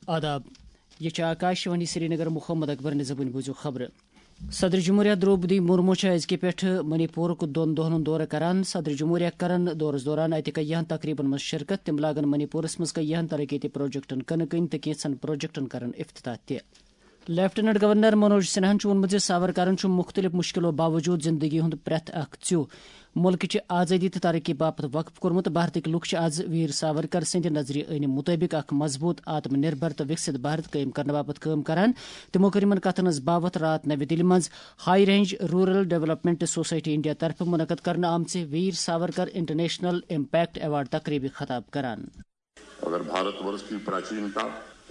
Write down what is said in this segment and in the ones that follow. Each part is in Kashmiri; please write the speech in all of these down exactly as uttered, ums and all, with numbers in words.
آداب۔ یہ چھِ آکاشوانی سرینگر۔ محمد اکبر نظامٕنۍ بوٗزِو خبرٕ۔ صدر جمہوریہ درٛوپدی مرمو چھِ أزکہِ پٮ۪ٹھٕ منی پورُک دۄن دۄہن ہُنٛد دورٕ کران۔ صدر جمہوریہ کرن دورس دوران اتہِ کیاہن تقریبن منٛز شرکت۔ تِم لاگن منی پورس منٛز کیاہن ترقیتی پروجیکٹن کٕنہٕ کٕنۍ تہٕ کینٛژن پروجیکٹن کرن افتتاح تہِ۔ لیفٹیننٹ گورنر منوج سنہاہن چھُ ووٚنمُت زِ ساورکرن چھُ مُختٔلِف مُشکِلو باوجوٗد زِندگی ہُنٛد پرٛٮ۪تھ اکھ ژیوٚ مُلکٕچہِ آزٲدی تہٕ ترقی باپتھ وقف کوٚرمُت۔ بھارتٕکۍ لُکھ چھِ آز ویر ساورکر سٕنٛدِ نظرِ عٲنہِ مُطٲبِق اکھ مضبوٗط، آتم نربھر تہٕ وِکسِت بھارت قٲیِم کرنہٕ باپتھ کٲم کران۔ تِمو کٔر یِمن کتھن ہٕنٛز باوتھ راتھ نوِ دِلہِ منٛز high range rural development society India طرفہٕ منعقد کرنہٕ آمژِ Veer Savarkar international impact award تقریبہِ خطاب کران۔ अगर भारतवर्ष की प्राचीनता,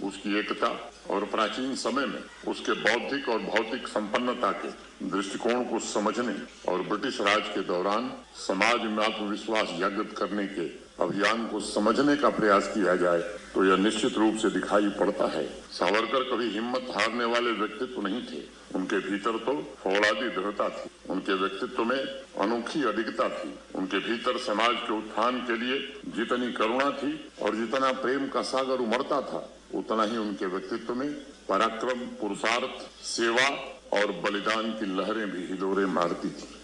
उसकी एकता और प्राचीन समय में उसके बौद्धिक और भौतिक संपन्नता के दृष्टिकोण को समझने और ब्रिटिश राज के दौरान समाज में आत्मविश्वास जागृत करने के अभियान को समझने का प्रयास किया जाए, तो यह निश्चित रूप से दिखाई पड़ता है। सावरकर कभी हिम्मत हारने वाले व्यक्तित्व नहीं थे। उनके भीतर तो फौलादी दृढ़ता थी। उनके व्यक्तित्व में अनोखी अडिगता थी। उनके भीतर समाज के उत्थान के लिए जितनी करुणा थी और जितना प्रेम का सागर उमड़ता था, उतना ही उनके व्यक्तित्व में पराक्रम, पुरुषार्थ, सेवा और बलिदान की लहरें भी हिलोरे मारती थीं।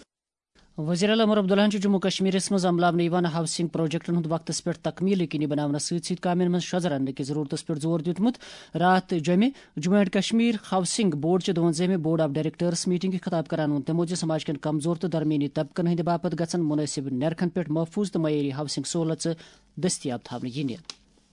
وزیر اعلیٰ عمر عبداللہن چھُ جموں کشمیرس منٛز عملاونہٕ یِوان ہاؤسنگ پروجیکٹن ہُنٛد وقتس پٮ۪ٹھ تکمیل یقینی بناونس سۭتۍ سۭتۍ کامٮ۪ن منٛز شۄژ رننہٕ کہِ ضرورتس پٮ۪ٹھ زور دیُتمُت۔ راتھ جمعہ Jammu and Kashmir housing board چہِ دُوَنزٲہمہِ بورڈ آف ڈائریکٹرز میٹنگہِ خطاب کران ووٚن تِمو زِ سماج کٮ۪ن کمزور تہٕ درمیٲنی طبقن ہٕنٛدِ باپتھ گژھن مناسب نرخن پٮ۪ٹھ محفوظ تہٕ معیٲری ہاؤسنگ سہولژٕ دٔستیاب تھاونہٕ یِنہِ۔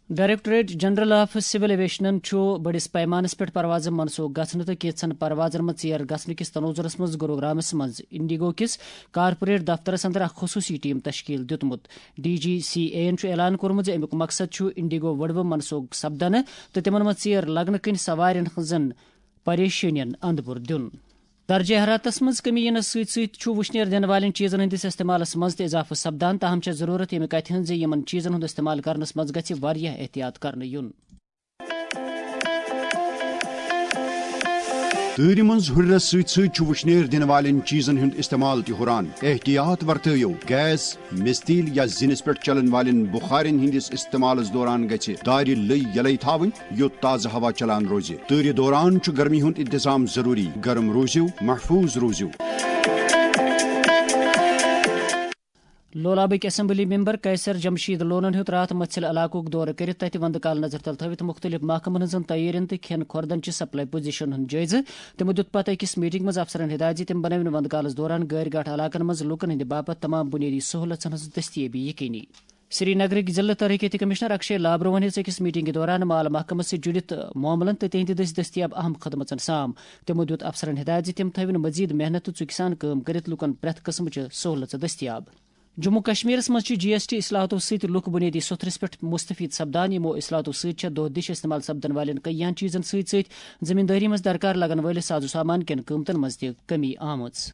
ڈائریکٹوریٹ جنرل آف سول ایویشنن چھُ بٔڑِس پیمانس پٮ۪ٹھ پروازٕ منسوخ گژھنہٕ تہٕ کینٛژن پروازن منٛز ژیر گژھنہٕ کِس تنوظرس منٛز گروگرامس منٛز انڈیگو کِس کارپوریٹ دفترس اندر اکھ خصوٗصی ٹیم تشکیل دیُتمُت۔ ڈی جی سی اے یَن چھُ اعلان کوٚرمُت زِ اَمیُک مقصد چھُ انڈیگو وٕڑوٕ منسوخ سپدنہٕ تہٕ تِمن منٛز ژیر لگنہٕ کِنۍ سوارٮ۪ن ہٕنٛزن پریشٲنین اندپور دیُن۔ درجہ حرارتس منٛز کمی یِنس سۭتۍ سۭتۍ چھُ وُشنیر دِنہٕ والٮ۪ن چیٖزن ہٕنٛدِس استعمالس منٛز تہِ اضافہٕ سپدان، تاہم چھےٚ ضروٗرت ییٚمہِ کتھِ ہٕنٛز زِ یِمن چیٖزن ہُنٛد استعمال کرنس منٛز گژھِ واریاہ احتیاط کرنہٕ یُن۔ تۭرِ منٛز ہُرٮ۪رس سۭتۍ سۭتۍ چھُ وُشنیر دِنہٕ والٮ۪ن چیٖزن ہُنٛد استعمال تہِ ہُران۔ احتیاط ورتٲیِو، گیس، مِستیٖل یا زِنِس پٮ۪ٹھ چلن والٮ۪ن بُخارٮ۪ن ہٕنٛدِس استعمالس دوران گژھِ دارِ لٔے یَلَے تھاوٕنۍ، یوٚت تازٕ ہوا چلان روزِ۔ تۭرِ دوران چھُ گرمی ہُنٛد انتظام ضروٗری۔ گرم روٗزِو، محفوٗظ روٗزِو۔ لولابٕکۍ اسمبلی ممبر قیصر جمشید لونن ہیوٚت راتھ مژھِل علاقُک دورٕ کٔرِتھ تتہِ وندٕ کال نظر تل تھٲوِتھ مُختٔلِف محکمن ہٕنٛزن تیٲرین تہٕ کھٮ۪ن کھۄردن چہِ سپلائی پوزیشن ہُنٛد جٲیزٕ۔ تِمو دیُت پتہٕ أکِس میٹنگ منٛز افسرن ہدایت زِ تِم بنٲوِن وندٕ کالس دوران غٲرۍ گاٹھ علاقن منٛز لوٗکن ہٕنٛدِ باپتھ تمام بُنیٲدی سہوٗلژن ہٕنٛز دٔستیٲبی یقینی۔ سری نگرٕکۍ ضلعہٕ ترقیتی کمشنر اکشے لابروہن ہیٚژ أکِس میٹنگہِ دوران مال محکمس سۭتۍ جُڑِتھ معاملن تہٕ تِہنٛدِ دٔسۍ دٔستیاب اہم خدمژن سام۔ تِمو دیُت افسرن ہدایت زِ تِم تھٲوِن مزید محنت تہٕ ژُکہِ سان کٲم کٔرِتھ لوٗکن پرٛٮ۪تھ قٕسمٕچہِ سہوٗلژٕ دٔستیاب۔ جموں کشمیرس منٛز چھِ جی ایس ٹی اصلاحاتو سۭتۍ لُکھ بُنیٲدی سوٚتھرِس پٮ۪ٹھ مُستفید سپدان۔ یِمو اصلاحاتو سۭتۍ چھےٚ دۄہ دِش استعمال سپدن والٮ۪ن کیٚنٛہن چیٖزن سۭتۍ سۭتۍ زٔمیٖندٲری منٛز درکار لگن وٲلِس ساز و سامان کٮ۪ن قۭمتن منٛز تہِ کٔمی آمٕژ۔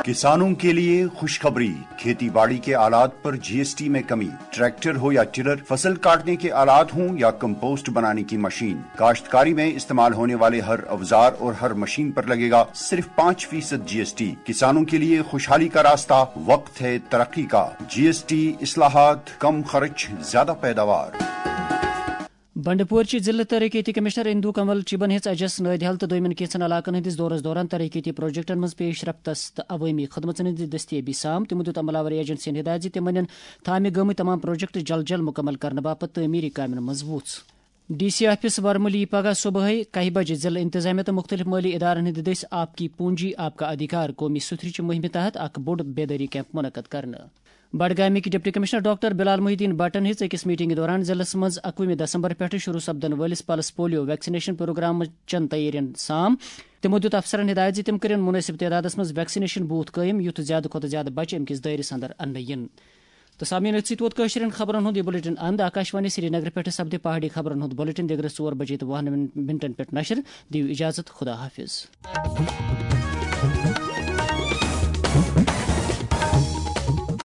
کسانوں کے لیے خوشخبری، کھیتی باڑی کے آلات پر جی ایس ٹی میں کمی، ٹریکٹر ہو یا ٹلر، فصل کاٹنے کے آلات ہوں یا کمپوسٹ بنانے کی مشین، کاشتکاری میں استعمال ہونے والے ہر اوزار اور ہر مشین پر لگے گا صرف پانچ فیصد جی ایس ٹی۔ کسانوں کے لیے خوشحالی کا راستہ، وقت ہے ترقی کا، جی ایس ٹی اصلاحات، کم خرچ، زیادہ پیداوار۔ بنڈپور چہِ ضلعہٕ ترقیتی کمشنر اندو کنول چیبن ہیٚژ اجس نٲدِحل تہٕ دوٚیمٮ۪ن کینٛژن علاقن ہٕنٛدِس دورس دوران ترقیتی پروجیکٹن منٛز پیش رفتس تہٕ عوٲمی خدمژن ہٕنٛدِ دٔستیٲبی سام۔ تِمو دیُت عملہ آور ایجنسین ہدایت زِ تِمن نِن تھامہِ گٲمٕتۍ تمام پروجیکٹ جلد جلد مُکمل کرنہٕ باپتھ تعمیٖری کامٮ۪ن منٛز وُژھ۔ ڈی سی آفس ورمُلی پگہہ صبحٲے کاہہِ بجہِ ضلعہٕ انتظامیہ تہٕ مُختٔلِف مٲلی ادارن ہٕنٛدِ دٔسۍ آپ کی پونجی آپ کا ادھیکار قومی سُتھرِ چہِ مُہِمہِ تحت اکھ بوٚڑ بیدٲری کیمپ منعقد کرنہٕ۔ بڈگامٕکۍ ڈپٹی کمشنر ڈاکٹر بلال محی الدین بٹن ہیٚژ أکِس میٹنگہِ دوران ضلعس منٛز اکوُہمہِ دسمبر پٮ۪ٹھٕ شروع سپدن وٲلِس پلس پولیو ویکسینیشن پروگرامہٕ چٮ۪ن تیٲرین سام۔ تِمو دیُت افسرن ہدایت زِ تِم کٔرِن مُنٲسِب تعدادس منٛز ویکسینیشن بوتھ قٲیِم، یُتھ زیادٕ کھۄتہٕ زیادٕ بچہِ امہِ کِس دٲیرس اندر اننہٕ یِن۔ تہٕ سامعین، أتھۍ سۭتۍ ووت کٲشرٮ۪ن خبرن ہُنٛد یہِ بلیٹن اند۔ آکاشوانی سرینگر پٮ۪ٹھٕ سپدِ پہاڑی خبرن ہُنٛد بلیٹن دِگرس ژور بجے تہٕ وُہن منٹن پٮ۪ٹھ نشر۔ دِیِو اجازت، خدا حافظ۔